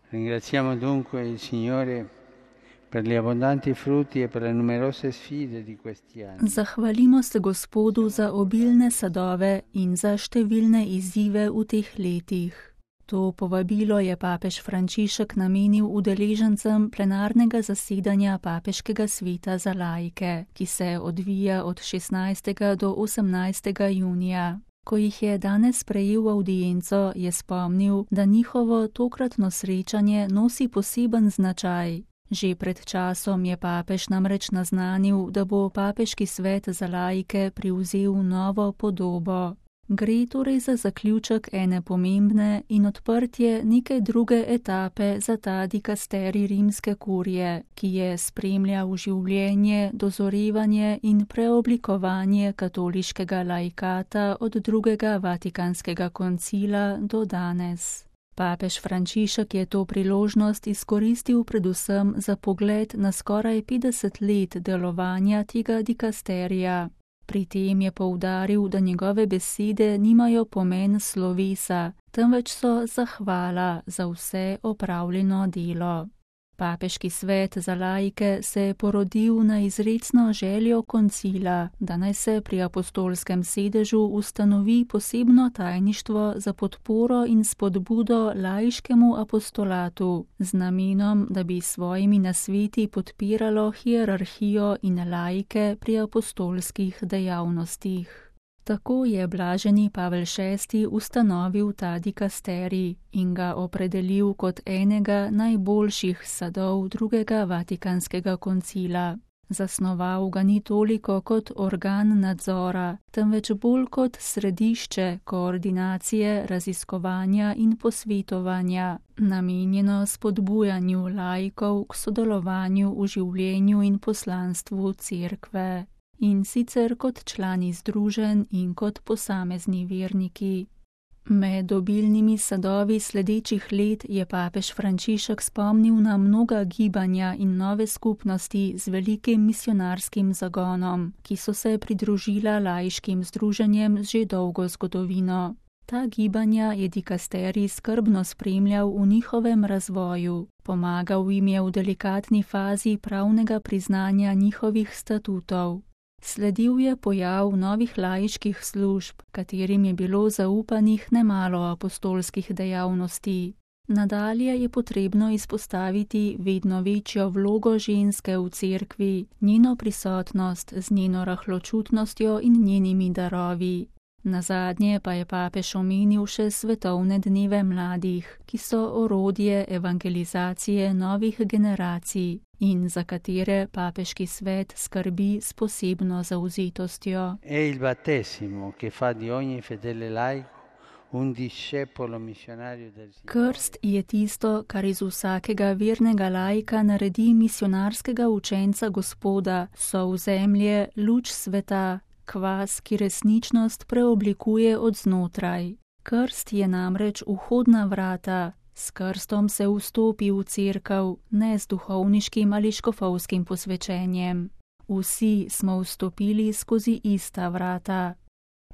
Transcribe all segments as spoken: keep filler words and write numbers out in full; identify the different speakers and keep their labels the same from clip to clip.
Speaker 1: Ringraziamo dunque il Signore per gli abbondanti frutti e per le numerose sfide di questi anni.
Speaker 2: Zahvalimo se Gospodu za obilne sadove in za številne izzive v teh letih. To povabilo je papež Frančišek namenil udeležencem plenarnega zasedanja Papeškega sveta za laike, ki se odvija od šestnajstega do osemnajstega junija. Ko jih je danes sprejel v avdienco, je spomnil, da njihovo tokratno srečanje nosi poseben značaj. Že pred časom je papež namreč naznanil, da bo Papeški svet za laike privzel novo podobo. Gre torej za zaključek ene pomembne in odprtje neke druge etape za ta dikasterij rimske kurije, ki je spremljal življenje, dozorevanje in preoblikovanje katoliškega laikata od drugega Vatikanskega koncila do danes. Papež Frančišek je to priložnost izkoristil predvsem za pogled na skoraj petdeset let delovanja tega dikasterija. Pri tem je poudaril, da njegove besede nimajo pomen slovesa, temveč so zahvala za vse opravljeno delo. Papeški svet za laike se je porodil na izrecno željo koncila, da naj se pri apostolskem sedežu ustanovi posebno tajništvo za podporo in spodbudo laiškemu apostolatu, z namenom, da bi svojimi nasveti podpiralo hierarhijo in laike pri apostolskih dejavnostih. Tako je blaženi Pavel šesti ustanovil ta dikasterij in ga opredelil kot enega najboljših sadov drugega Vatikanskega koncila. Zasnoval ga ni toliko kot organ nadzora, temveč bolj kot središče koordinacije, raziskovanja in posvetovanja, namenjeno spodbujanju laikov k sodelovanju v življenju in poslanstvu cerkve. In sicer kot člani združenj in kot posamezni verniki. Med obilnimi sadovi sledečih let je papež Frančišek spomnil na mnoga gibanja in nove skupnosti z velikim misionarskim zagonom, ki so se pridružila laiškim združenjem z že dolgo zgodovino. Ta gibanja je dikasterij skrbno spremljal v njihovem razvoju, pomagal jim je v delikatni fazi pravnega priznanja njihovih statutov. Sledil je pojav novih laiških služb, katerim je bilo zaupanih nemalo apostolskih dejavnosti. Nadalje je potrebno izpostaviti vedno večjo vlogo ženske v cerkvi, njeno prisotnost z njeno rahločutnostjo in njenimi darovi. Nazadnje pa je papež omenil še svetovne dneve mladih, ki so orodje evangelizacije novih generacij in za katere papeški svet skrbi s posebno zavzetostjo.
Speaker 1: È il battesimo che fa di ogni fedele laico un discepolo missionario del Signore.
Speaker 2: Krst je tisto, kar iz vsakega vernega laika naredi misionarskega učenca Gospoda, sol zemlje, luč sveta, kvas, ki resničnost preoblikuje od znotraj. Krst je namreč vhodna vrata. S krstom se vstopi v cerkev, ne z duhovniškim ali škofovskim posvečenjem. Vsi smo vstopili skozi ista vrata.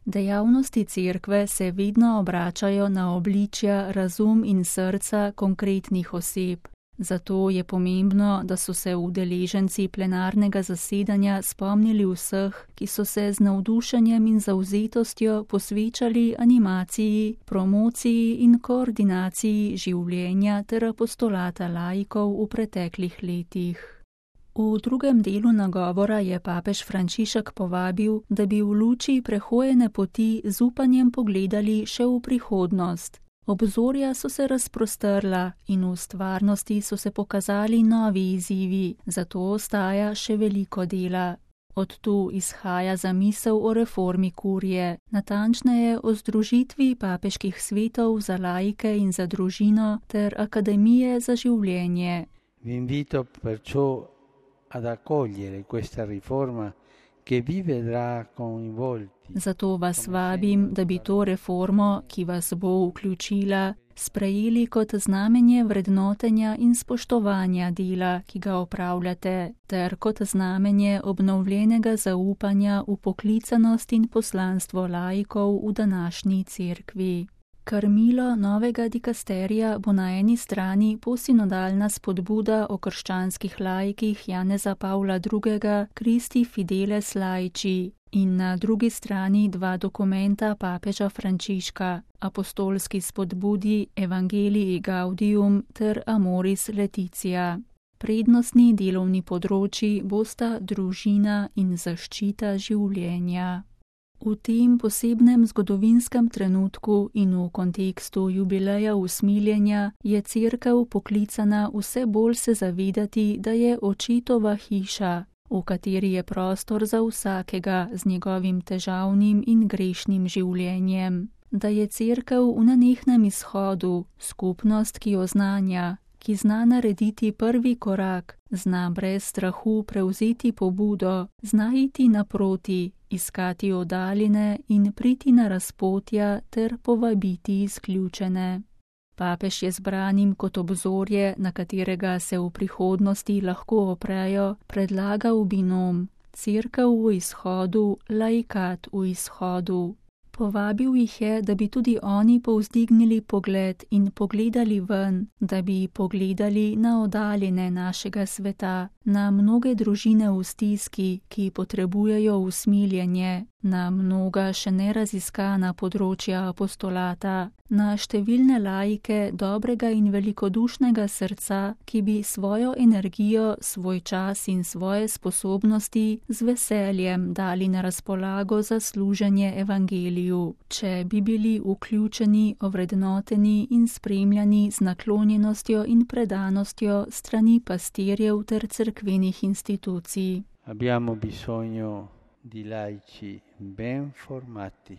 Speaker 2: Dejavnosti cerkve se vedno obračajo na obličja, razum in srca konkretnih oseb. Zato je pomembno, da so se udeleženci plenarnega zasedanja spomnili vseh, ki so se z navdušenjem in zavzetostjo posvečali animaciji, promociji in koordinaciji življenja ter apostolata laikov v preteklih letih. V drugem delu nagovora je papež Frančišek povabil, da bi v luči prehojene poti z upanjem pogledali še v prihodnost. Obzorja so se razprostrla in v stvarnosti so se pokazali novi izzivi, zato ostaja še veliko dela. Od tu izhaja zamisel o reformi kurije, natančneje o združitvi papeških svetov za laike in za družino ter akademije za življenje.
Speaker 1: Vi invito perciò ad accogliere questa riforma che vi vedrà coinvolti.
Speaker 2: Zato vas vabim, da bi to reformo, ki vas bo vključila, sprejeli kot znamenje vrednotenja in spoštovanja dela, ki ga opravljate, ter kot znamenje obnovljenega zaupanja v poklicanost in poslanstvo laikov v današnji cerkvi. Krmilo novega dikasterija bo na eni strani posinodalna spodbuda o krščanskih laikih Janeza Pavla drugega Christi Fideles Laici in na drugi strani dva dokumenta papeža Frančiška, apostolski spodbudi Evangelii Gaudium ter Amoris Laetitia. Prednostni delovni področji bosta družina in zaščita življenja. V tem posebnem zgodovinskem trenutku in v kontekstu jubileja usmiljenja je Cerkev poklicana vse bolj se zavedati, da je očetova hiša, v kateri je prostor za vsakega z njegovim težavnim in grešnim življenjem, da je Cerkev v nenehnem izhodu, skupnost, ki jo znanja, ki zna narediti prvi korak, zna brez strahu prevzeti pobudo, zna iti naproti, iskati oddaljene in priti na razpotja ter povabiti izključene. Papež je zbranim kot obzorje, na katerega se v prihodnosti lahko oprejo, predlagal binom: Cerkev v izhodu, laikat v izhodu. Povabil jih je, da bi tudi oni povzdignili pogled in pogledali ven, da bi pogledali na oddaljene našega sveta, na mnoge družine v stiski, ki potrebujejo usmiljenje, na mnoga še neraziskana področja apostolata, na številne laike dobrega in velikodušnega srca, ki bi svojo energijo, svoj čas in svoje sposobnosti z veseljem dali na razpolago za služenje evangeliju, če bi bili vključeni, ovrednoteni in spremljani z naklonjenostjo in predanostjo strani pastirjev ter cerkvenih institucij.
Speaker 1: Abbiamo bisogno di laici ben formati.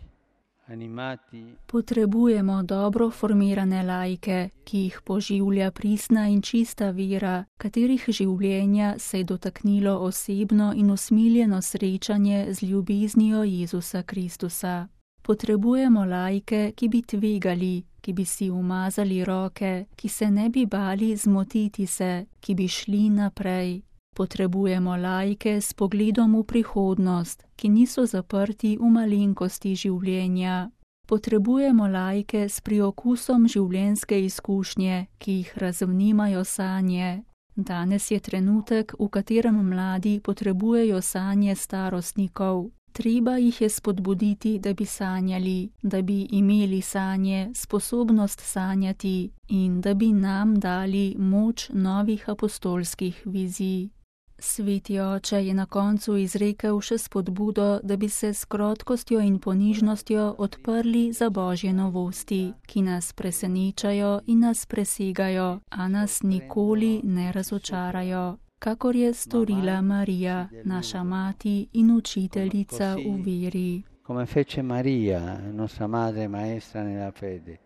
Speaker 2: Potrebujemo dobro formirane laike, ki jih poživlja pristna in čista vera, katerih življenja se je dotaknilo osebno in usmiljeno srečanje z ljubeznijo Jezusa Kristusa. Potrebujemo laike, ki bi tvegali, ki bi si umazali roke, ki se ne bi bali zmotiti se, ki bi šli naprej. Potrebujemo laike s pogledom v prihodnost, ki niso zaprti v malenkosti življenja. Potrebujemo laike s priokusom življenjske izkušnje, ki jih razvnimajo sanje. Danes je trenutek, v katerem mladi potrebujejo sanje starostnikov. Treba jih je spodbuditi, da bi sanjali, da bi imeli sanje, sposobnost sanjati in da bi nam dali moč novih apostolskih vizij. Sveti oče je na koncu izrekel še spodbudo, da bi se s krotkostjo in ponižnostjo odprli za Božje novosti, ki nas presenečajo in nas presegajo, a nas nikoli ne razočarajo, kakor je storila Marija, naša mati in učiteljica v veri.
Speaker 1: Come fece Maria, nostra madre maestra nella fede.